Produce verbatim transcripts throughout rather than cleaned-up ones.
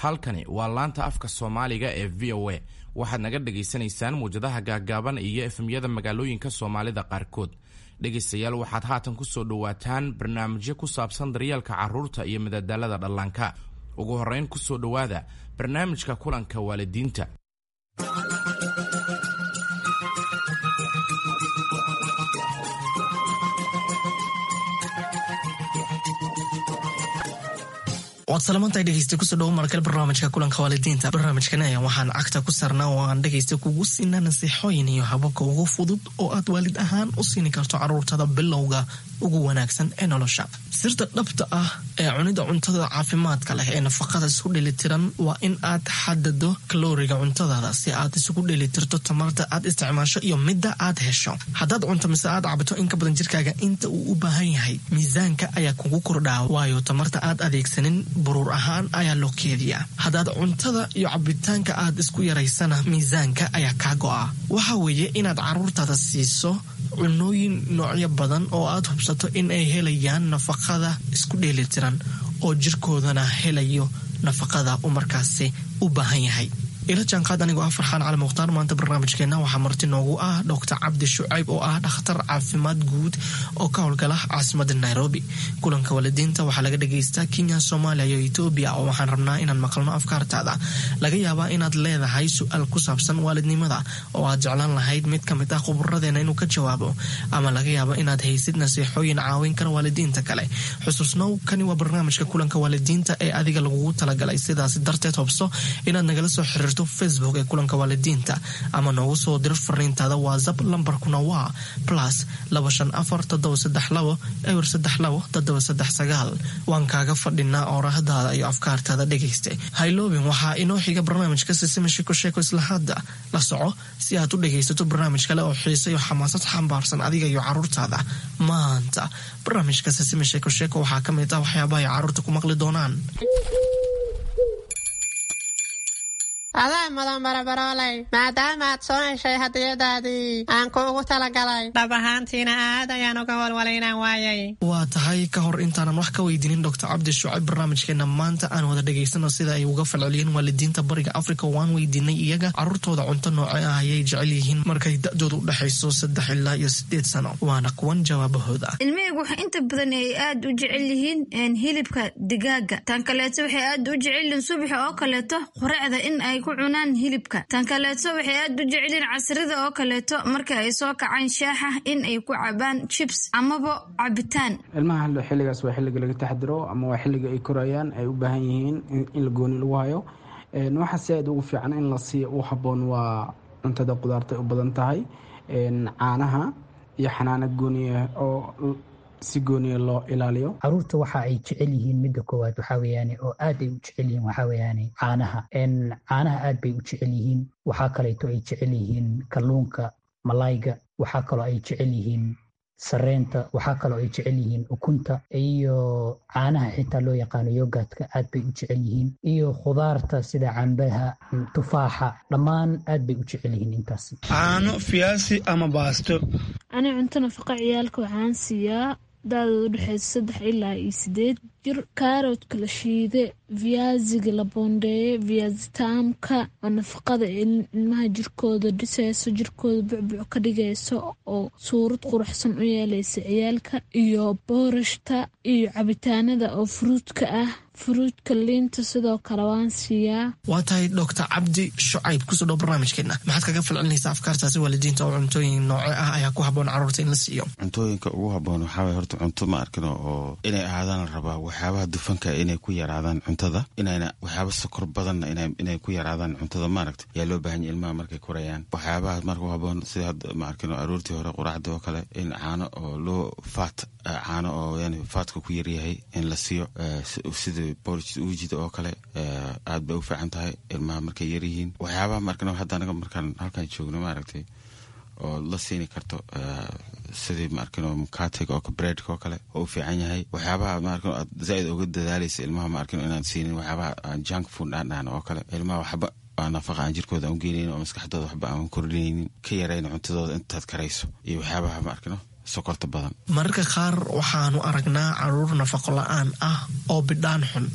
Halkani waa laanta afka Soomaaliga ee V O A. Waxaad naga dhagaysanaysaan muwjadaha gaaggaaban iyo F M-yada magaalooyinka Soomaalida qaarkood. Dhegaystayaal, waxaad haatan ku soo dhowaataan barnaamijyo ku saabsan daryeelka carruurta iyo madadaalada dhallaanka. Ugu horrayn, ku soo dhowaada barnaamijka kulanka waalidiinta. Waad salamantahay, dhegeysta. Kusoo dhawo markale barnaamijka kulanka waalidiinta. Barnaamijkan ayaa waxaan cagta ku saarnaa oo aan dhegeysta kugu siinaa nasiixooyin iyo hababka ugu fudud oo aad waalid ahaan u siini karto caruurtada bilowga ugu wanaagsan ee nolosha. Sirta dhabta ah ee cunida cuntada caafimaadka leh ee nafaqada isku dheelitiran waa in aad xadado kalooriga cuntadaada si aad isugu dheelitirto tamarta aad isticmaasho iyo midda aad hesho. Haddaad cunto mise aad cabto in ka badan jirkaaga inta uu u baahan yahay, miisaanka ayaa kugu kordhaa, waayo tamarta aad adeegsanin buruur ahaan ayaa loo keediyaa. Haddaad cuntada iyo cabitaanka aad isku yaraysana, miisaanka ayaa kaa go'a. Waxa weeye inaad caruurtaada siiso cunooyin noocyo badan oo aad hubsato in ay helayaan nafaqada isku dheelitiran oo jirkoodana helayo nafaqada uu markaasi u baahan yahay. Ila jaanqaad anigoo ah Farxaan Cali Mukhtaar. Maanta barnaamijkeena waxaa marti noogu ah Doctor Cabdi Shucayb oo ah dhakhtar caafimaad guud oo ka howlgala caasimada Nairobi. Kulanka waalidiinta waxaa laga dhagaystaa Kenya, Soomaaliya iyo Etoobiya, oo waxaan rabnaa inaan maqalno afkaartaada. Laga yaabaa inaad leedahay su-aal ku saabsan waalidnimada oo aad jeclaan lahayd mid kamid ah khuburadeena inuu ka jawaabo, ama laga yaabo inaad haysid nasiixooyin caawin kara waalidiinta kale. Xusuusnow, kani waa barnaamijka kulanka waalidiinta ee adiga lagugu talagalay. Sidaas darteed, hobso inaad nagala soo xiriirto Facebook ee kulanka waalidiinta ama noogu soo diro fariintaada WhatsApp. Lambarkuna waa plus laba shan afar toddoba saddex labo eber saddex labo toddoba saddex sagaal. Waan kaaga fadhinaa oorahdaada iyo afkaartaada, dhegayste. Hayloobin, waxaa inoo xiga barnaamijka Sisima Sheko Sheeko. Isla hadda la soco si aad u dhegaysato barnaamij kale oo xiise iyo xamaasad xambaarsan adiga iyo caruurtaada. Maanta barnaamijka Sisima Sheeko Sheeko waxaa ka mid ah waxyaabaha ay caruurta ku maqli doonaan. Adaa mudan, barabarooley, maadaama aad soo heshay hadiyadaadii aan kuugu talagalay. Dhab ahaantiina aad ayaan uga walwalay inaan waayay. Waa tahay. Ka hor intaanan wax ka weydiinin Doctor Cabdi Shucayb barnaamijkeena maanta, aan wada dhegaysano sida ay uga falceliyeen waalidiinta Bariga Africa. Waan weydiinay iyaga caruurtooda cunto nooce ah ayay jecel yihiin markay da-dooda u dhexayso saddex ilaa iyo sideed sano. Waana kuwan jawaabahooda. Ilmahaygu waxa inta badan ay aad u jecel yihiin hilibka digaaga. Tan kaleeto, waxay aad u jecel yihiin subaxa oo kaleeto quraacda in ay ku cunaan hilibka. Tan kaleeto, waxay aad u jecelyihiin casrida oo kaleeto marka ay soo kacaan shaaxa in ay ku cabaan chips amaba cabitaan. Ilmaha xilligaas waa xilliga laga taxdiro ama waa xilliga ay korayaan, ay u baahan yihiin in la gooni lagu hayo. Waxa si aad ugu fiican in la siiyo u habboon waa cuntada qudaarta u badan tahay, caanaha iyo xanaano gooniya oo si gooniya loo ilaaliyo. Caruurta waxa ay jecel yihiin, midda koowaad waxaa weeyaane oo aad ay u jecel yihiin, waxaa weeyaane caanaha. Caanaha aad bay u jecel yihiin. Waxaa kaleeto ay jecel yihiin kalluunka, malayga. Waxaa kaloo ay jecel yihiin sareenta. Waxaa kaloo ay jecel yihiin ukunta iyo caanaha xitaa loo yaqaano yogurtka, aad bay u jecel yihiin, iyo khudaarta sida cambaha, tufaaxa, dhammaan aad bay u jecel yihiin intaasi. Caano, fiyaasi ama baasto. Ani cunto nafaqa ciyaalka waxaan siiyaa da-dooda udhexeysa saddex ilaa iyo sideed jir kaaroodka la shiide, viyaasiga la boondeeye, viyaasitaamka oo nafaqada ilmaha jirkooda dhiseyso, jirkooda bucbuc ka dhigayso oo suurad quruxsan u yeeleysa ciyaalka, iyo boorashta iyo cabitaanada oo furuudka ah, furuudka, liinta sidoo kale waan siiyaa. Waa tahay. Doctor Cabdi Shucayb, kusoo dhow barnaamijkeena. Maxaad kaga falcelinaysaa afkaartaasi waalidiinta oo cuntooyin nooce ah ayaa ku habboon caruurta in la siiyo? Cuntooyinka ugu habboon waxaa waye horta cunto ma arkino oo inay ahaadaan la rabaa waxyaabaha dufanka inay ku yaraadaan cuntada, inayna waxyaaba sokor badanna inay ku yaraadaan cuntada, maaragta, yaa loo baahan yahay ilmaha markay korayaan. Waxyaabaha marka u habboon sida hadda, ma arkino, aroortii hore quraacda oo kale in caano oo loo faat, caano oo yani faatka ku yaryahay in la siiyo, sida porridge uujida oo kale, aad bay u fiican tahay ilmaha markay yaryihiin. Waxyaabaha markan hadda anaga markaan halkan joogno, maaragtay, oo la siini karto sidii, ma arkino, mukatiga oo breadka oo kale oo u fiican yahay. Waxyaabaha, ma arkino, aad zaaid uga dadaalaysa ilmaha, ma arkino, inaan siinin waxyaabaha aan junk food aan dhahno oo kale. Ilmaha waxba aan nafaqa aan jirkooda aan u geenaynin oo maskaxdooda waxba aan kordhinaynin, ka yarayna cuntadooda intaad karayso, iyo waxyaabaha, ma arkino, sokorta badan. Mararka qaar waxaanu aragnaa caruur nafaqo la-aan ah oo bidhaan xun.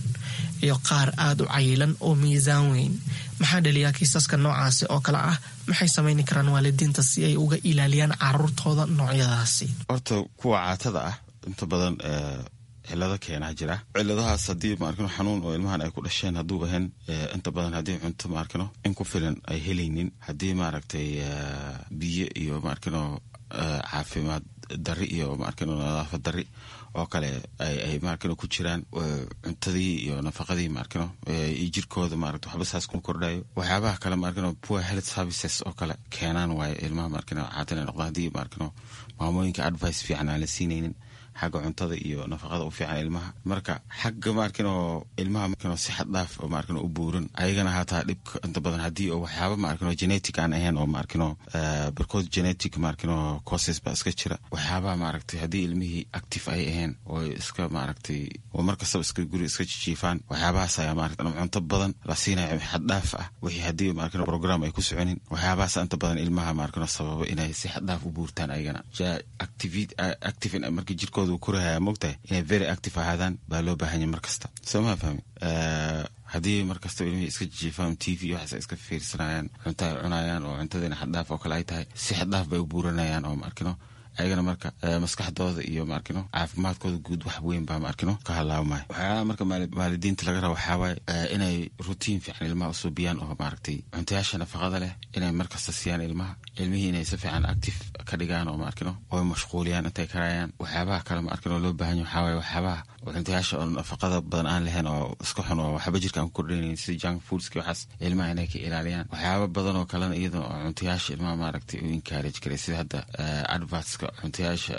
iyo qaar aada u cayilan oo miisaan weyn. Maxaa dhaliyaa kiisaska noocaasi oo kale ah? Maxay samayni karaan waalidiinta si ay uga ilaaliyaan caruurtooda noocyadaasi? Horta kuwa caatada ah inta badan cilado keenaa jira. Ciladahaas haddii maarkino xanuun oo ilmahan ay ku dhasheen hadduu ahayn, inta badan haddii cunto maarkino in ku filan ay helaynin, haddii maaragtay biyo iyo maarkino caafimaad dari iyo maarkino nadaafad dari oo kale ay maarkino ku jiraan, cuntadii iyo nafaqadii maarkino iyo jirkooda maaragta waxba saas kuma kordhayo. Waxyaabaha kale maarkino poor health services oo kale keenaan waaye ilmaha maarkino caata inay noqdaan, haddii maarkino maamooyinka advice fiican aan la siinaynin xagga cuntada iyo nafaqada u fiican ilmaha. Marka xagga maarkino ilmaha maarkino si xad dhaaf oo maarkino u buuran ayagana hataa dhibka inta badan haddii oo waxyaaba maarkino genetic aan ahayn oo maarkino barkood genetic maarkino causes baa iska jira. Waxyaabaha maaragtay haddii ilmihii active ay ahayn oo iska maaragtay oo mar kastaba iska guri iska jijiifaan, waxyaabahaas ayaa maaragtay cunto badan la siinayo xad dhaaf ah, wixii haddii maarkino program ay ku soconin, waxyaabahaas inta badan ilmaha maarkino sababa inay si xad dhaaf u buurtaan ayagana. Active markii jirkooda korahaya mogtahay inay very active ahaadaan baa loo baahanya mar kasta, soo maa fahmi? Haddii mar kastaba ilmihii iska jijiifaan, T V waxaas iska fiirsanayaan, cunto ay cunayaan oo cuntadiina xaddhaaf oo kale ay tahay, si xaddhaaf bay u buuranayaan oo maarkino ayagana marka maskaxdooda iyo maarkino caafimaadkooda guud wax weyn baa maarkino ka halaabmaya. Waxyaalaha marka waalidiinta laga raba waxaa waaye inay routine fiican ilmaha usuubiyaan oo maaragtay cuntayaasha nafaqada leh inay markasta siiyaan ilmaha, ilmihii inay si fiican active ka dhigaan oo maarkino oo mashquuliyaan intay karayaan. Waxyaabaha kale maarkino loo baahan yahay waxaa waaye waxyaabaha cuntayaasha oo nafaqada badan aan lahayn oo iska xun oo waxba jirka aan ku kordhaynayn sida junk foodski, waxaas ilmaha inay ka ilaaliyaan. Waxyaaba badan oo kalena iyada oo cuntayaasha ilmaha maaragtay u encourage karay, sida hadda advertska cuntayaasha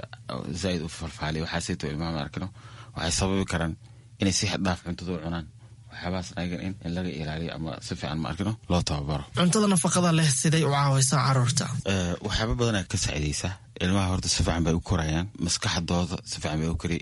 zaaid u falfaaliya, waxaasayto ilmaha maarkino waxay sababi karaan inay si xad dhaaf cuntada u cunaan. Waxyaabahaas ayagan in in laga ilaaliyo ama si fiican maarkino loo tababaro. Cuntada nafaqada leh siday u caawaysaa caruurta? Waxyaaba badanaa ka saacidaysaa ilmaha. Horta si fiican bay u korayaan, maskaxdooda si fiican bay u kori,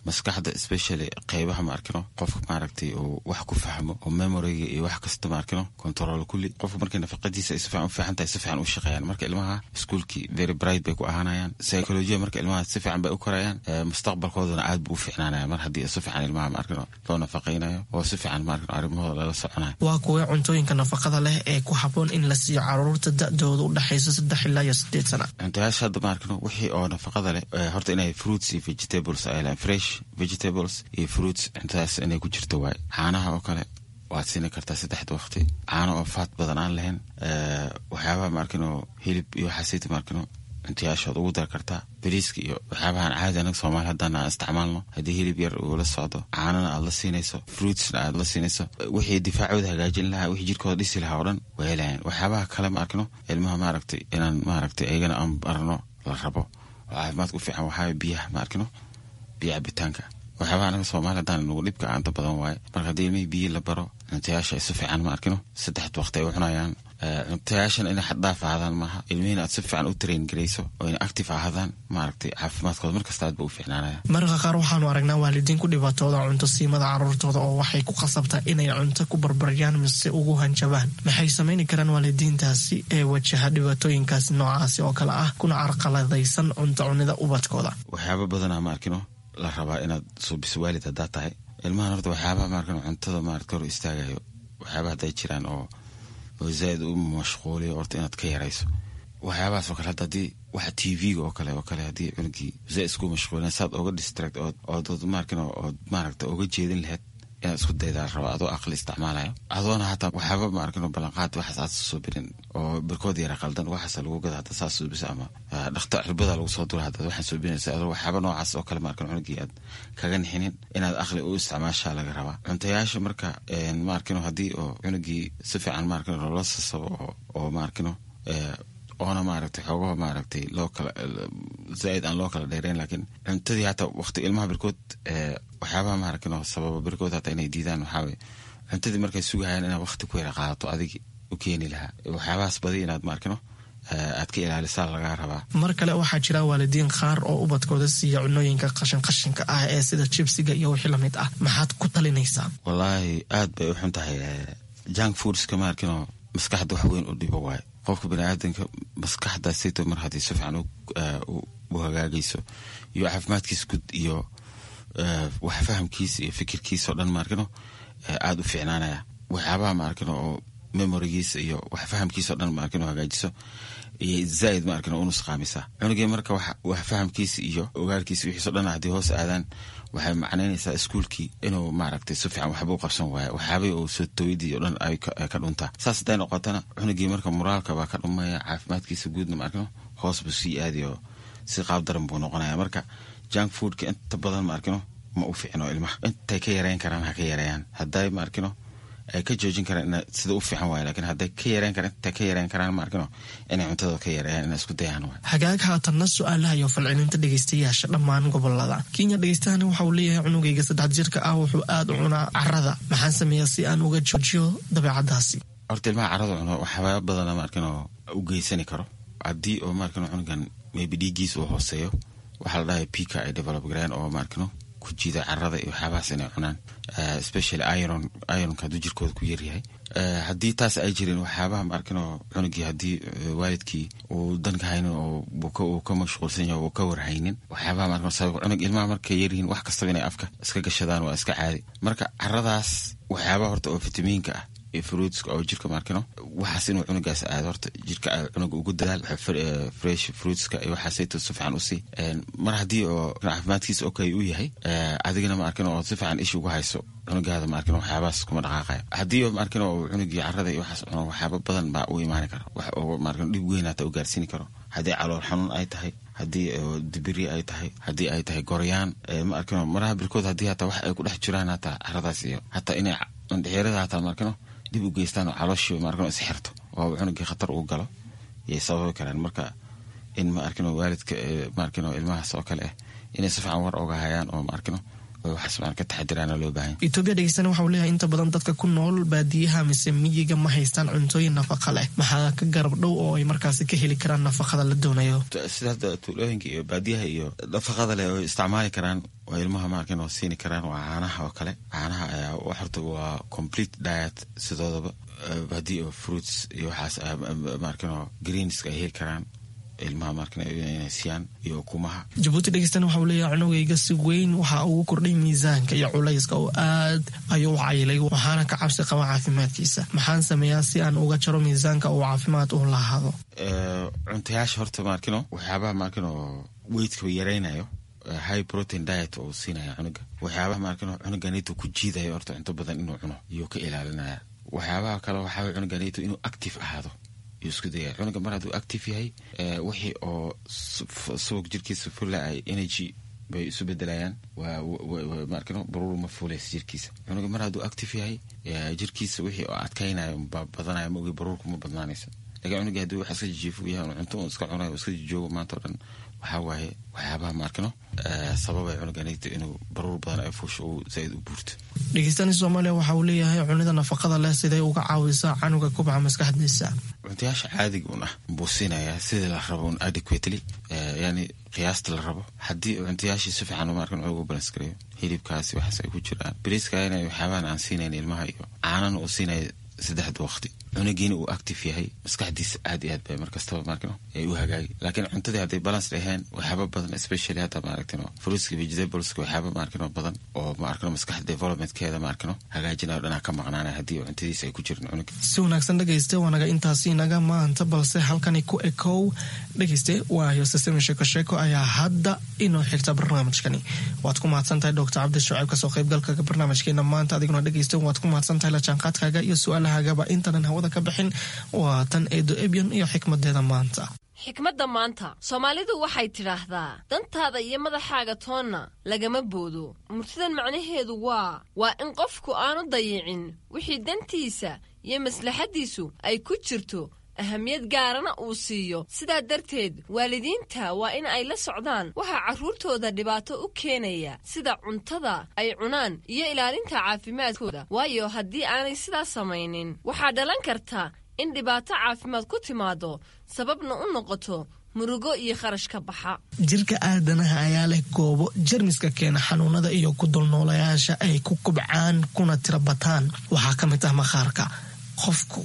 maskaxda especially qeybaha maarkino qofka maaragtay uu wax ku fahmo oo memoryga iyo wax kasta maarkino control kulli. Qofka markay nafaqadiisa ay si fiican u fiican tahay, si fiican u shaqeeyaan. Marka ilmaha iskuulkii very bright bay ku ahaanayaan, psychology marka ilmaha si fiican bay u korayaan, mustaqbalkoodana aad buu u fiicnaanaya mar haddii si fiican ilmaha maarkino loo nafaqaynayo oo si fiican maarkino arrimahooda lala soconayo. Waa kuwee cuntooyinka nafaqada leh ee ku habboon in la siiyo caruurta da-dooda u dhexaysa saddex ilaa iyo sideed sana? Cuntayaasha hadda maarkino wixii oo nafaqada leh horta inay fruits iyo vegetables ay lehan, fresh vegetables iyo fruits, cuntadaas inay ku jirto waaye. Caanaha oo kale waad siini kartaa saddexda waqti, caano oo faat badan aan lahayn. Waxyaabaha maarkino hilib iyo waxaasayta maarkino cuntayaashood ugu dar kartaa, bariiska iyo waxyaabahan caadi anaga soomaali haddaan aan isticmaalno, haddii hilib yar uu la socdo, caanana aad la siinayso, fruitsna aad la siinayso, wixii difaacooda hagaajin lahaa, wixii jirkooda dhisi lahaa oo dhan waa helayaan. Waxyaabaha kale ma arkino ilmaha maaragtay inaan maaragtay ayagana aan barno la rabo oo caafimaadka u fiican waxaa biyaha maarkino, biyo cabitaanka. Waxyaabaha anaga soomaali haddaan nagu dhibka aanta badan waaye. Marka haddii ilmihii biyo la baro, cuntayaasha ay si fiican ma arkino saddexda waqti ay u cunayaan, cuntayaashan inay xaddhaaf ahaadaan maaha, ilmihiina aad si fiican u train garayso oo inay active ahaadaan, maaragtay caafimaadkooda markasta aad ba u fiicnaanaya. Mararka qaar waxaanu aragnaa waalidiin ku dhibaatooda cunto siimada caruurtooda oo waxay ku khasabtaa inay cunto ku barbaryaan mise ugu hanjabaan. Maxay samayni karaan waalidiintaasi ee wajaha dhibaatooyinkaasi noocaasi oo kale ah kuna carqaladaysan cunto cunida ubadkooda? Waxyaaba badanaa ma arkino la rabaa inaad suubiso waalid haddaa tahay ilmahan. Horta waxyaabaha maarkino cuntada maaragta hor istaagayo, waxyaabaha hadday jiraan oo oo zaaid u mashquuliyo, horta inaad ka yarayso waxyaabahaas oo kale. Hadda haddii waxa T V-ga oo kale oo kale haddii cunugii zaaid isku mashquulin, saad oga distract ood ood maarkino ood maaragta oga jeedin lahayd inaad isku daydaa rabo adoo aqli isticmaalayo, adoona hataa waxyaaba maarkino ballanqaad waxaas aad soo birin oo barkood yara qaldan waxaas lagu gada hadda saas suubisa ama dhakta cirbada lagu soo dura hadda waxaan suubinaysa adoo waxyaaba noocaas oo kale maarkino cunugii aad kaga nixinin, inaad aqli u isticmaashaa laga rabaa cuntayaasha. Marka maarkino haddii oo cunugii si fiican maarkino loola sasabo oo oo maarkino oona maaragtay xoogaha maaragtay loo kala zaaid aan loo kala dheereyn, laakiin cuntadii hataa waqti ilmaha barkood waxyaabaha maaragtay sababa barkood hataa inay diidaan waxaa waye cuntadii markay sugahayaan inaad waqti ku yara qaadato adigi u keeni lahaa, waxyaabahaas badi inaad maarkino aad ka ilaalisaa lagaa rabaa. Mar kale waxaa jira waalidiin qaar oo ubadkooda siiya cunooyinka qashin qashinka ah ee sida jibsiga iyo wixii lamid ah. Maxaad ku talinaysaa? Wallaahi aad bay u xun tahay junk foodska maarkino, maskaxda wax weyn u dhibo waaye. Qofka baniaadanka maskaxdaasayto mar haddii si fiican u hagaagayso iyo caafimaadkiisa guud iyo wax fahamkiisa iyo fikirkiisa oo dhan maarkino aada u fiicnaanaya. Waxyaabaha ma arkin oo memorigiisa iyo wax fahamkiisa o dhan ma arkin oo hagaajiso iyo zaaid ma arkin oo unusqaamisa cunugii. Marka wax fahamkiisa iyo ogaalkiisa wixiiso dhan haddii hoos aadaan, waxay macnaynaysaa iskuulkii inuu maaragtay si fiican waxba u qabsan waaya, waxyaabihii uu soo tawidii o dhan ay ka dhuntaa. Saas hadday noqotana, cunugii marka moraalka baa ka dhumaya, caafimaadkiisa guudna ma arkino hoos buu sii aadayo, si qaab daran buu noqonaya. Marka junk foodka inta badan ma arkino ma u fiicno ilmaha. Intay ka yareyn karaan ha ka yareeyaan, hadday ma arkino ay ka joojin karaan sida u fiican waay, lakin hadday ka yareyn karaan, intay ka yareyn karaan ma arkino inay cuntada ka yareeyaan, inay isku dayaan waay. Hagaag, haatanna su-aalaha iyo falcelinta dhegeystayaasha dhammaan gobolada Kenya. Dhegeystahani waxa uu leeyahay, cunugayga saddex jirka ah wuxuu aada u cunaa carada, maxaan sameeyaa si aan uga joojiyo dabeecadaasi? Horta ilmaha carada cuno waxyaaba badana ma arkino u geysani karo. Haddii oo ma arkino cunugan maybe dhiiggiisa uu hooseeyo, waxaa la dhahay pica ay develop gareen oo ma arkino ku jiida carada iyo waxyaabahaas inay cunaan, especially iron, ironka hadduu jirkooda ku yaryahay. Haddii taas ay jirin, waxyaabaha ma arkino cunugii haddii waalidkii uu danka haynin oo uu ka mashquulsan yahay, uu ka warhaynin waxyaabaha ma arkino sabab cunug. Ilmaha markay yaryihiin wax kastaba inay afka iska gashadaan waa iska caadi. Marka caradaas waxyaabaha horta oo fitamiinka ah iyo fruitska oo jirka maarkino waxaas inuu cunugaas aado, horta jirka cunuga ugu dadaal fresh fruitska iyo waxaasayto si fiican usii. Mar haddii oo caafimaadkiisa okay uu yahay, adigana ma arkin oo si fiican isha ugu hayso cunugaada, ma arkin waxyaabahaas kuma dhaqaaqaya. Haddii oo ma arkin oo cunugii carada iyo waxaas cuno, waxyaaba badan baa u imaani kara, wax oo ma arkin dhib weyn hata u gaarsiini karo. Haddii calool xanuun ay tahay, haddii dibiri ay tahay, haddii ay tahay goryaan, ma arkino maraha birkood haddii hataa wax ay ku dhex jiraan hataa caradaas iyo hataa inay indhexeerada hataa ma arkino dib u geystaan oo calooshii ma arkino isxirto oo cunugii khatar uu galo yay sababi karaan. Marka in ma arkino waalidka ma arkino ilmahaas oo kale ah inay si fiican war oga hayaan oo ma arkino waxaas maan ka taxadiraana loo baahan. Etoobiya dhegeystana waxa uu leeyahay, inta badan dadka ku nool baadiyaha mise miyiga ma haystaan cuntooyin nafaqa leh, maxaa ka garab dhow oo ay markaasi ka heli karaan nafaqada la doonayo? Sida hadda tuulooyinka iyo baadiyaha iyo nafaqada leh oo isticmaali karaan oo ilmaha ma arkin oo siini karaan waa caanaha oo kale. Caanaha ayaa horta waa complete diet sidoodaba. Haddii oo fruits iyo waxaas ma arkin oo greenska ay heli karaan ilmaha markan inay siiyaan iyo ukumaha. Jabuuti dhegeystana waxa uu leeyahay, cunugayga si weyn waxa ugu kordhay miisaanka iyo culayska oo aad ayuu u cayilay, waxaana ka cabsi qaba caafimaadkiisa, maxaan sameeyaa si aan uga jaro miisaanka uu caafimaad u lahaado? Cuntayaasha horta maarkino waxyaabaha maarkino weightka yaraynayo, high protein diet oo siinaya cunuga. Waxyaabaha maarkino cunuganito ku jiidayo horta cunto badan inuu cuno iyuu ka ilaalinaya. Waxyaabaha kale waxaa cunuganito inuu active ahaado yuu isku dayaya. Cunuga mar hadduu active yahay, wixii oo subag jirkiisa fula ay energy bay isu bedelayaan, maarkino baruur ma fuulaysa jirkiisa. Cunuga mar hadduu active yahay, jirkiisa wixii oo adkaynayo baa badanaya, ma ogi baruurku ma badnaanaysa. Lakin cunuga hadduu wax iska jijiifo yahay, cunto un iska cunayo, iska jijoogo maanta o dhan, waxaa waaye waxyaabaha maarkino sababay cunuganigta inuu baruur badan ay fuusho uu zaaid u buurto. Dhegeystani Soomaaliya waxa uu leeyahay, cunida nafaqada leh siday uga caawisaa canuga kubca maskaxdiisa? Cuntayaasha caadiga un ah buu siinayaa sidii la rabo un adequately, yani qiyaasta la rabo. Haddii cuntayaashii si fiican maarkan ugu balance gareeyo, hilibkaasi waxaas ay ku jiraan, bariiska inay waxyaabahan aan siinayn ilmaha iyo caanana uu siinaya saddexda waqti, cunugiina uu active yahay, maskaxdiisa aad iyo aad bay markastaba maarkino ay u hagaagi. Laakiin cuntadii hadday balance dhaheen, waxyaaba badan, especially hadda maaragtino fruitska, vegetables-ka, waxyaaba maarkino badan oo maarkino maskaxda developmentkeeda maarkino hagaajinayo dhanaa ka maqnaanaya haddii cuntadiisa ay ku jirin cunuga. Si wanaagsan dhegeyste, waanaga intaasi inaga maanta, balse halkani ku ekow dhegeyste, waayo sisemi sheeko sheeko ayaa hadda inoo xigta barnaamijkani. Waad ku mahadsan tahay Doctor Cabdi Shucayb kasoo qaybgalka barnaamijkeena maanta. Adiguna dhegeyste waad ku mahadsan tahay la jaanqaadkaaga iyo su-aalahagaba. Intanan hawada ka bixin, waa tan Eedo Ebyan iyo xikmadeeda maanta. Xikmadda maanta, Soomaalidu waxay tidhaahdaa, dantaada iyo madaxaaga toonna lagama boodo. Murtidan macnaheedu waa waa in qofku aanu dayicin wixii dantiisa iyo maslaxaddiisu ay ku jirto, ahamiyad gaarana uu siiyo. Sidaa darteed waalidiinta waa in ay la socdaan waxaa carruurtooda dhibaato u keenaya, sida cuntada ay cunaan iyo ilaalinta caafimaadkooda, waayo haddii aanay sidaas samaynin waxaa dhalan karta in dhibaato caafimaad ku timaado, sababna u noqoto murugo iyo kharash ka baxa. Jirka aadanaha ayaa leh goobo jermiska keena xanuunada iyo ku dulnoolayaasha ay ku kubcaan kuna tira bataan. Waxaa ka mid ah maqaarka. Qofku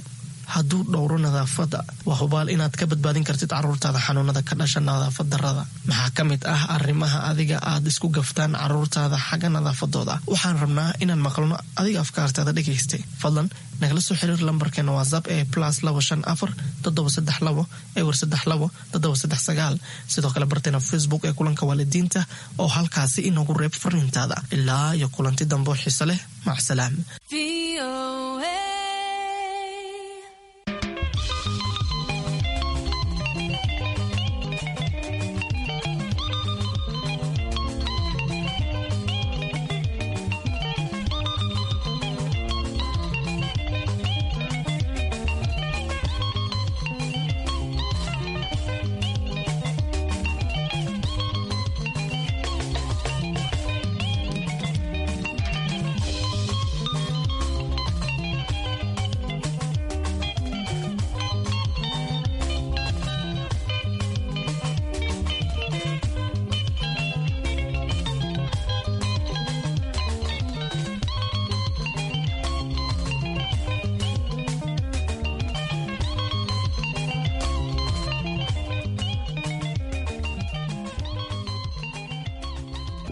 hadduu dhowro nadaafadda, waa hubaal inaad ka badbaadin kartid caruurtaada xanuunada ka dhasha nadaafad darrada. Maxaa ka mid ah arrimaha adiga aad isku gaftaan caruurtaada xagga nadaafadooda? Waxaan rabnaa inaan maqalno adiga afkaartaada dhegaystay. Fadlan nagala soo xiriir lambarkeena WhatsApp ee plus labo shan afar toddoba saddex labo ewer saddex labo toddoba saddex sagaal. Sidoo kale barteena Facebook ee Kulanka Waalidiinta oo halkaasi inoogu reeb fariintaada. Ilaa iyo kulanti dambo xiise leh, macsalaam.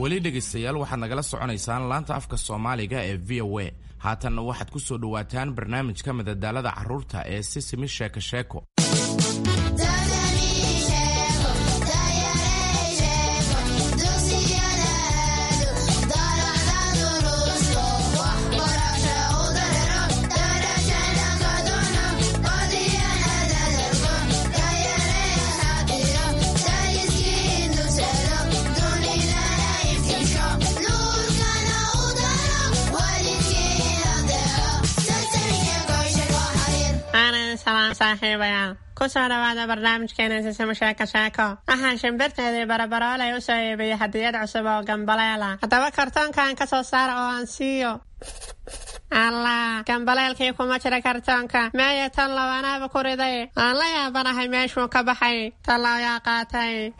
Weli dhegaystayaal, waxaad nagala soconaysaan laanta afka Soomaaliga ee V O A. Haatanna waxaad ku soo dhowaataan barnaamijka madadaalada carruurta ee Sisimi Sheeko Sheeko. Salaam saaxiibayaal, kusoo dhawaada barnaamijkeena Sisimo Sheeko Sheeko. Waxaan shimbirteedii Barabaroolay u soo iibiyey hadiyad cusub oo gambaleela. Haddaba kartoonkan ka soo saara oo aan siiyo. Allah, gambaleelkii kuma jira kartoonka. Meeya tan labanaaba ku riday? Aan la yaabanahay meeshuu ka baxay. Tallaa yaa qaatay?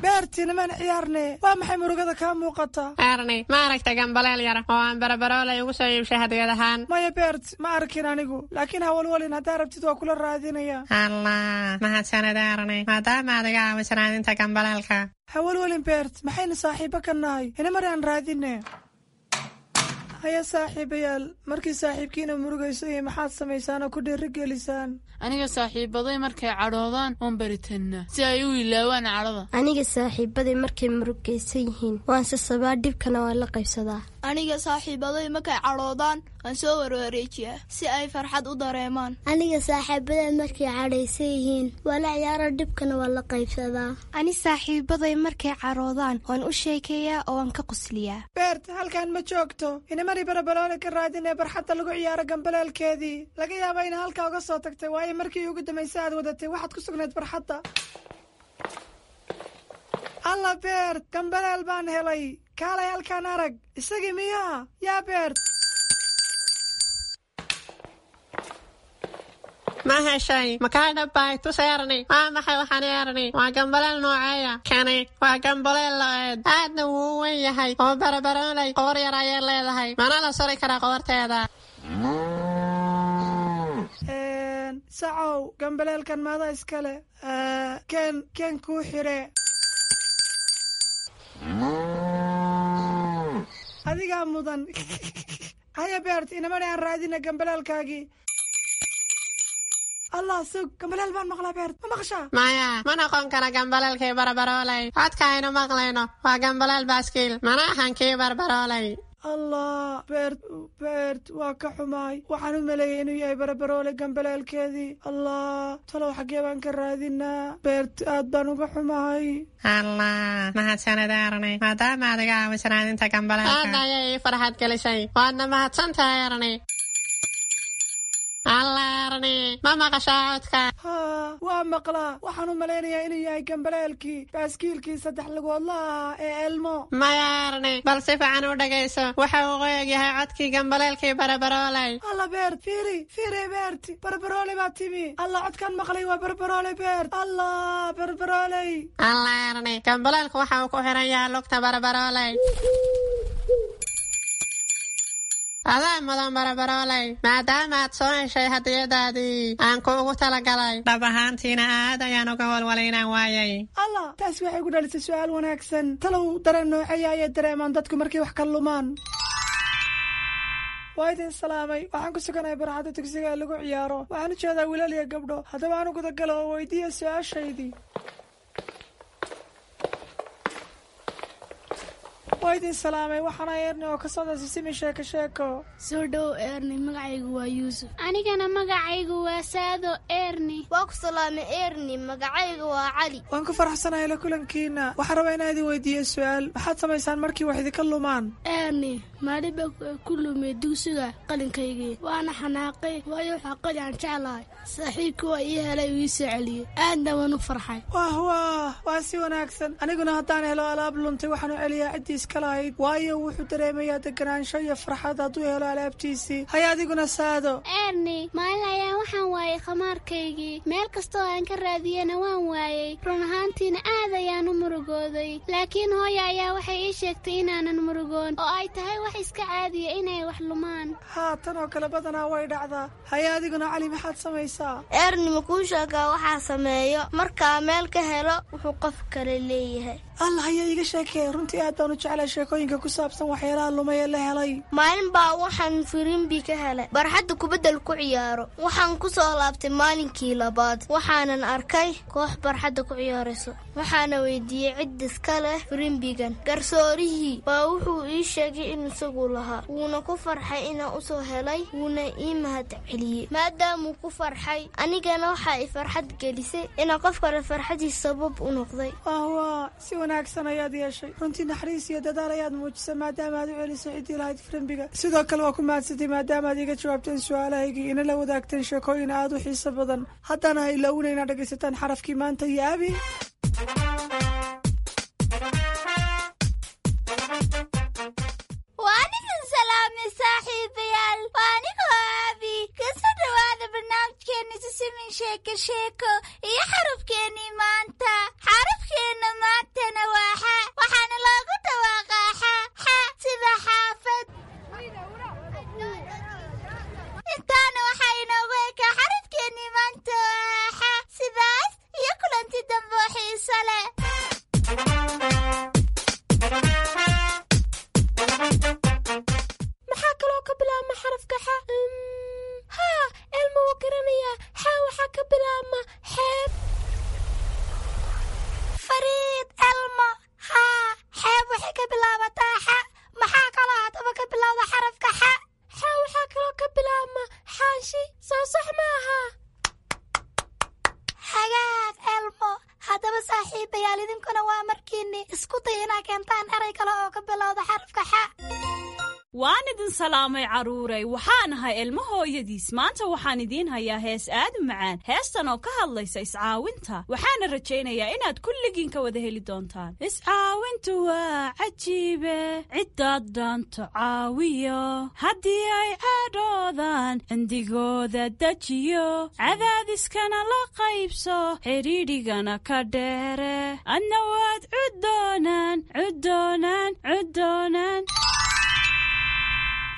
Beerti, nimaan ciyaarne, waa maxay murugada kaa muuqata? Erni, ma aragta gambaleel yar oo aan Barabaroolay ugu soo iibshay hadiyad ahaan? Maya Beert, ma arkin anigu, laakiin hawalwalin, haddaa rabtid waa kula raadinaya. Allah, mahadsanid Erni, maadaama aad iga caawisan raadinta gambaleelka. Hawalwalin Beert, maxaynu saaxiibo ka nahay? Inamar aan raadine. Haya saaxiibayaal, markii saaxiibkiina murugayso iyo maxaad samaysaan oo ku dhiirigelisaan? Aniga saaxiibaday markay cadhoodaan oon baritannaa si ay u ilaawaan cadhada. Aniga saaxiibaday markay murugaysan yihiin waan sasabaa, dhibkana waan la qaybsadaa. Aniga saaxiibaday markay cadhoodaan waan soo warwareejiyaa si ay farxad u dareemaan. Aniga saaxiibaday markay cadhaysan yihiin waa la ciyaaro, dhibkana waan la qaybsadaa. Ani saaxiibaday markay cadhoodaan waan u sheekeeyaa oo waan ka qosliyaa. Beert, halkan ma joogto. Inamari Barabaroole ka raadinee barxadda lagu ciyaaro gambaleelkeedii. Laga yaaba ina halkaa uga soo tagtay, waayo markii ugu dambaysa aad wadatay waxaad ku sugnayd barxadda. Alla Beert, gambaleel baan helay. Kaalay halkaan arag. Isagii miyaa? Yaa Beert? Ma heshay? Makaa dhabbay? Tus Erni. Waa maxay waxaan Erni? Waa gambaleel nooceeya? Kani waa gambaleel lo'eed, aadna wuu u weyn yahay oo Barabaroolay qoor yar ayay leedahay, mana la suri karaa qoorteeda. Sacow, gambaleelkan maada iskale? Keen keen kuu xire. Adigaa mudan. Haya Beert, inamani aan raadina gambaleelkaagii. Allah, sug, gambaleel baan maqlaa. Beert, ma maqashaa? Maya, ma noqon kara gambaleelkii Barabaroolay. Codka aynu maqlayno waa gambaleel baaskiil, mana ahan kii Barbaroolay. Allah Beert, Beert, waa ka xumaay. Waxaan u maleeyay inuu yahay Barabaroole gambaleelkeedii. Allah, talow xaggee baan ka raadinaa? Beert, aad baan uga xumahay. Allah, mahadsanid Erni, maadaama aad iga caawisan raadinta gambaleelka. Aad ayay ii farxad gelisay, waadna mahadsan tahay Erni. Allah Erni, ma maqashaa codka? Haa, waa maqlaa. Waxaan u malaynayaa inuu yahay gambaleelkii baaskiilkii saddex lugoodla ahaa ee Elmo. Maya Erni, bal si fiican u dhagayso. Waxa uu qoyog yahay codkii gambaleelkii Barabaroolay. Alla Beert, fiiri fiiri Beert, Barabaroole baa timi. Alla, codkaan maqlay waa Barabaroole. Beert, Allah, Barabarooley. Allah Erni, gambaleelku waxa uu ku xiran yahay lugta Barabaroolay. Adaa mudan barabarooley, maadaama aad soo heshay hadiyadaadii aan kuugu talagalay. Dhab ahaantiina aad ayaan uga walwalay inaan waayay. Allah, taasi waxay ku dhalisay su'aal wanaagsan. Talow dareen nooceeya ayay dareemaan dadku markay wax ka lumaan? Waa idin salaamay. Waxaan ku suganahay barxadda dugsiga ee lagu ciyaaro. Waxaan u jeedaa wiilal iyo gabdho. Haddaba aan u gudagalo oo weydiiya su-aashaydii. Waa idin salaamay. Waxaana Eerni oo ka socda Sisimi Sheeko Sheeko. Soo dhow Eerni, magacaygu waa Yuusuf. Anigana magacaygu waa Saado Eerni. Waa ku salaamay Eerni, magacaygu waa Cali. Waan ku faraxsanahay la kulankiina. Waxaan rabaa inaan idin weydiiyo su-aal. Maxaad samaysaan markii wax idinka lumaan? Eerni, maalin baa ku lumay dugsiga qalinkaygii, waana xanaaqay, waayo waxaa qalin aan jeclahay. Saaxiibkii waa ii helay, uu ii soo celiyey, aadna waan u farxay. Wah wah, waa si wanaagsan. Aniguna haddaan helo alaab luntay, waxaan u celiyaa ciddii iska lahayd, waayo wuxuu dareemayaa deganaansho iyo farxad hadduu helo alaabtiisii. Hay adiguna Saado. Eerni, maalin ayaan waxaan waayay khamaarkaygii. Meel kastoo aan ka raadiyena waan waayey. Run ahaantiina aad ayaan u murugooday, laakiin hooya ayaa waxay ii sheegtay inaanan murugoon oo ay tahay wax iska caadiya inay wax lumaan. Haa, tan oo kale badanaa way dhacdaa. Haye adiguna Cali, maxaad samaysaa? Eerni, ma kuu sheegaa waxaa sameeyo markaa meel ka helo wuxuu qof kale leeyahay? Allah, ayaa iiga sheekee. Runtii aad baan u jeclay sheekooyinka ku saabsan waxyaalaha lumay ee la helay. Maalin baa waxaan firimbi ka helay barxadda kubaddal ku ciyaaro. Waxaan ku soo laabtay maalinkii labaad, waxaanan arkay koox barxadda ku ciyaarayso. Waxaana weydiiyey cid iska leh firimbigan. Garsoorihii baa wuxuu ii sheegay in isagu lahaa, wuuna ku farxay inaan usoo helay, wuuna ii mahad celiyey. Maadaamuu ku farxay, anigana waxaa i farxad gelisay inaan qof kale farxadiis sabab u noqday. Wah, si wanaagsan ayaad yeeshay. Runtii naxariis iyo dadaal ayaad muujisay maadaama aad u celisay ciddii lahayd firimbiga. Sidoo kale waa ku mahadsantay maadaama aad iga jawaabteen su-aalahaygii, ina la wadaagteen sheekooyin aad u xiiso badan. Haddana ha ilowna inaad dhegaysataan xarafkii maanta iyo Abi. Waan idin salaamay saaxiibayaal, waa anigoo Aabi. Kasoo dhawaada barnaamijkeena Sisimin Sheeko Sheeko iyo xarafkeennii maanta. Xarafkeenna maantana waa xa, waxaana loogu dhawaaqaa xa xa sida xaafad. Intaana waxaa inoogu ekaa xarafkeennii maanta oo xa. Sidaas iyo kulanti dambe oo xiiso leh. Maxaa kaloo ka bilaabma xarafka xa? Haa, Elma wuu garanayaa. Xa waxaa ka bilaabma xeeb. Fariid, Elmo, haa, xeeb waxay ka bilaabataa xa. Maxaa kaloo haddaba ka bilowda xarafka xa? Xa waxaa kaloo ka bilaabma xaanshi. Soo sax maaha? Hagaag Elmo. Haddaba saaxiibayaal, idinkuna waa markiinni isku day inaa keentaan eray kale oo ka bilowda xarafka xa. Waan idin salaamay carruuray. Waxaan ahay Ilmo hooyadiis. Maanta waxaan idiin hayaa hees aad u macaan, heestan oo ka hadlaysa iscaawinta. Waxaana rajaynayaa inaad kulligiin ka wada heli doontaan. Iscaawintu waa cajiibe, ciddaad dhaanto caawiyo, haddii ay cadhoodaan cindigooda dejiyo, cadaadiskana la qaybso, xidhiidhigana ka dheere, adna waad cuddoonaan cuddoonaan cuddoonaan.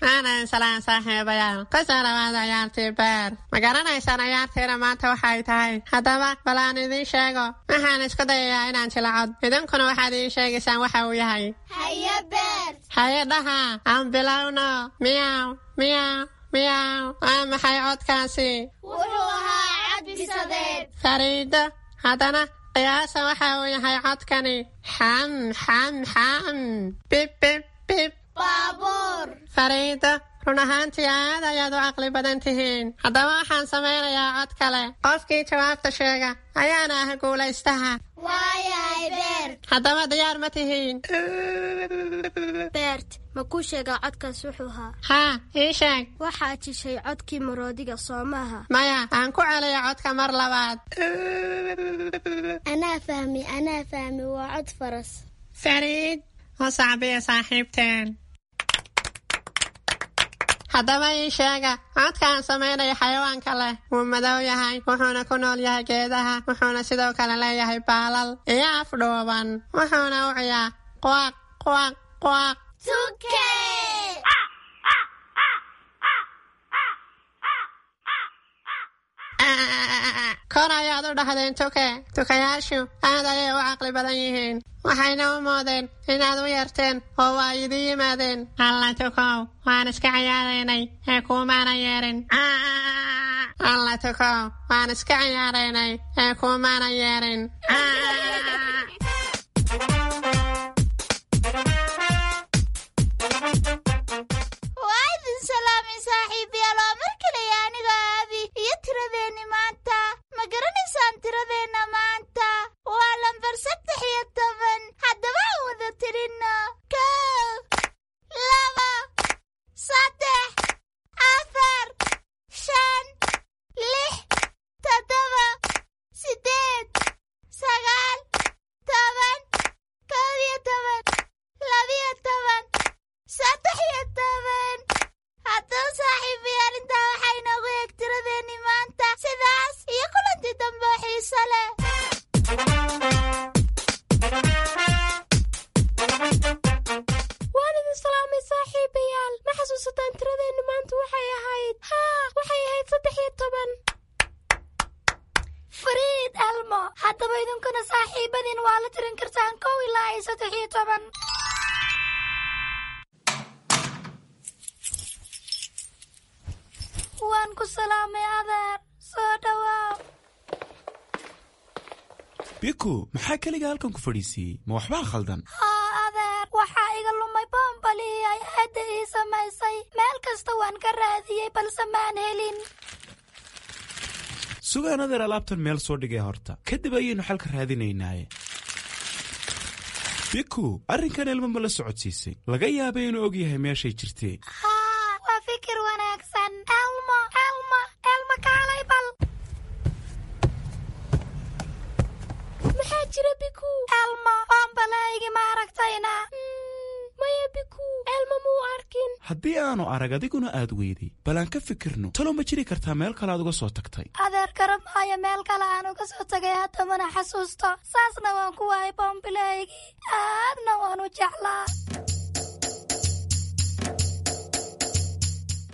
Aanan salaan saaxiibayaal, kusoo dhawaada ciyaartii beer. Ma garanaysaan ciyaartiina maanta waxay tahay? Haddaba bal aan idiin sheego. Waxaan isku dayayaa inaan jilacod, idinkuna waxaad ii sheegaysaan waxa uu yahay. Haye Beer. Haye dhaha, aan bilowno. Miyaw miyaw miyaw, waa maxay codkaasi? Wuxuu ahaa cod bisadeed. Fariido, haddana qiyaasa waxa uu yahay codkani. Xam xam xam, bib bib bib. Baabuur. Fariido, run ahaantii aad ayaad u caqli badan tihiin. Haddaba waxaan samaynayaa cod kale. Qofkii jawaabta sheega ayaana ah guulaystaha. Waayahay Beert. Haddaba diyaar ma tihiin? Beert, ma kuu sheegaa codkaas wuxuu ahaa? Haa, ii sheeg. Waxaad jishay codkii maroodiga, soo maaha? Maya, aan ku celiyo codka mar labaad. Anaa fahmi, anaa fahmi, waa cod faras. Fariid, u sacbiya saaxiibteen. Haddaba ii sheega codka aan samaynayo xayawaanka leh. Wuu madow yahay, wuxuuna ku nool yahay geedaha, wuxuuna sidoo kale leeyahay baalal iyo af dhuuban, wuxuuna u ciyaa quaq quaq quaq. Tuke. Kor ayaad u dhahdeen tuke. Tukayaashu aad ayay u caqli badan yihiin, waxayna u moodeen inaad u yeerteen oo waa idin yimaadeen. Alla tukow, waan iska ciyaaraynay ee kuumaana yeerin. Alla tukow, waan iska ciyaaraynay ee kuumaana yeerin. Waa idin salaamay saaxiibayaal, waa mar kaleya aniga Aabi iyo tiradeenni maanta. Ma garanaysaan tiradeenna maanta? Waa lambar saddex iyo toban. Haddaba aan wada tirinno: kow, laba, saddex, afar, shan, lix, toddoba, siddeed, sagaal, toban, kow iyo toban, labiyo toban, saddex iyo toban. Haddaba saaxiibayaal, intaa waxaa inoogu eeg tiradeenni maanta. Sidaas iyo kulantii dambe oo xiiso leh. Waan idin salaamay saaxiibayaal. Ma xasuusataan tiradeenni maanta waxay ahayd? Haa, waxay ahayd saddex iyo toban. Fariid Elmo, haddaba idinkuna saaxiibadiin waa la tirin kartaan kow ilaa iyo saddex iyo toban. Waan ku salaamay adeer, soo dhawaaw. Biku, maxaa keliga halkan ku fadhiisiiyey? Ma waxbaa khaldan? Haa adeer, waxaa iga lumay boombalihii ay aadda ii samaysay. Meel kasta waan ka raadiyey balse maan helin. Sugaan adeer, alaabtan meel soo dhigay horta, kadib ayaynu xalka raadinaynaaye. Biku, arrinkan Elmo ma la socodsiisay? Laga yaabay inuu og yahay meeshay jirtee. Haa, waa fikir wanaagsan. Elmo, Elmo, Elmo, kaalay bal. Maxaa jira, Biku? Elmo, boombalahaygi ma aragtayna? Maya Biku, Elmo muu arkin. Haddii aanu arag adiguna aad weyday, bal aan ka fikirno. Talow ma jiri kartaa meel kale aad uga soo tagtay? Adeer, garab maayo meel kale aan uga soo tagay, haddamana xasuusto. Saasna waan ku waayay boombilahaygii, aadna waan u jeclaa.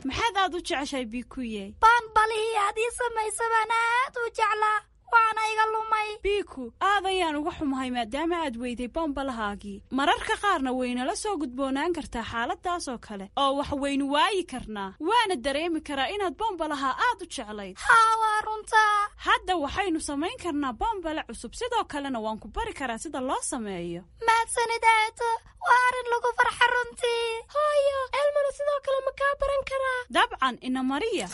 Maxaad aad u jeceshahay, Bikuye? Boonbalihii aad ii samaysa baan aad u jeclaa, waana iga lumay. Biku, aad ayaan uga xumahay maadaama aad weyday bombalahaagii. Mararka qaarna waynala soo gudboonaan kartaa xaaladaas oo kale oo wax waynu waayi karnaa, waana dareemi karaa inaad bombalaha aad u jeclayd. Haa, waa runtaa. Hadda waxaynu samayn karnaa bombale cusub, sidoo kalena waan ku bari karaa sida loo sameeyo. Mahadsanid aato, waa arrin lagu farxa runtii. Hooyo, Elmona sidoo kale ma kaa baran karaa? Dabcan, ina mariya.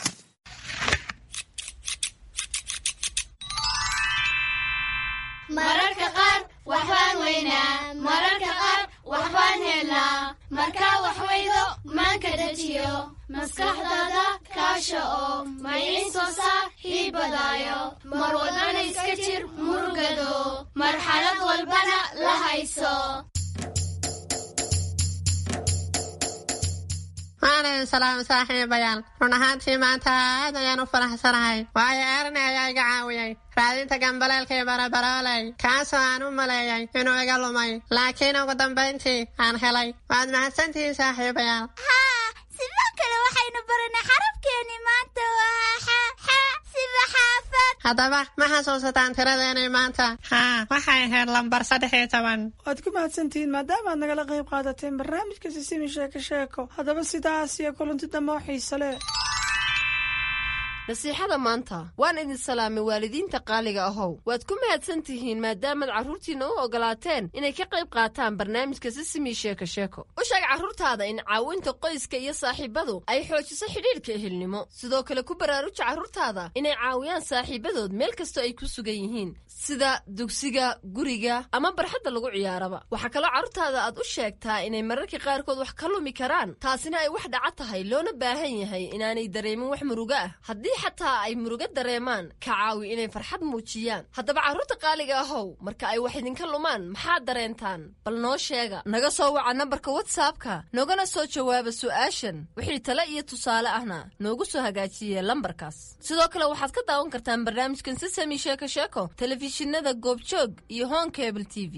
Mararka qaar waxbaan weynaa, mararka qaar waxbaan helnaa. Markaa wax weydo maanka dejiyo, maskaxdaada kaasha oo maycin soo saar hiibadaayo. Mar walbana iska jir murugado, marxalad walbana la hayso. Waan idin salaamay saaxiibayaal. Run ahaantii maanta aad ayaan u faraxsanahay, waayo Erni ayaa iga caawiyey raadinta gambaleelkii barabarooley, kaasoo aan u maleeyay inuu iga lumay, laakiin ugu dambayntii aan helay. Waad mahadsantihiin saaxiibayaal. Haa, sidoo kale waxaynu baranay xarafkeeni maanta waa xa, xa sida xaafad. Haddaba ma xasuusataan tiradeenii maanta? Haa, waxay ahayd lambar saddex iyo toban. Waad ku mahadsantihiin maadaama aad nagala qayb qaadateen barnaamijka Sisimi Sheeko Sheeko. Haddaba sidaas iyo kulanti dambe oo xiise leh. Nasiixada maanta. Waan idin salaamay waalidiinta qaaliga ahow. Waad ku mahadsan tihiin maadaamaad carruurtiinna u ogolaateen inay ka qayb qaataan barnaamijka Sisimi Sheeko Sheeko. U sheeg carruurtaada in caawinta qoyska iyo saaxiibadu ay xoojiso xidhiidhka ehelnimo. Sidoo kale ku baraaruja carruurtaada inay caawiyaan saaxiibadood meel kastoo ay ku sugan yihiin, sida dugsiga, guriga ama barxadda lagu ciyaaraba. Waxaa kaloo carruurtaada aad u sheegtaa inay mararka qaarkood wax ka lumi karaan, taasina ay wax dhaca tahay, loona baahan yahay inaanay dareemin wax murugo ah. Haddii xataa ay murugo dareemaan, ka caawi inay farxad muujiyaan. Haddaba carruurta qaaliga ahow, marka ay wax idinka lumaan maxaad dareentaan? Bal noo sheega. Naga soo waca nambarka WhatsAppka, noogana soo jawaaba su'aashan. Wixii tale iyo tusaale ahna noogu soo hagaajiye lambarkaas. Sidoo kale waxaad ka daawan kartaan barnaamijkan Sisami Sheeko Sheeko telefishinada Goobjoog iyo Hon Cable T V.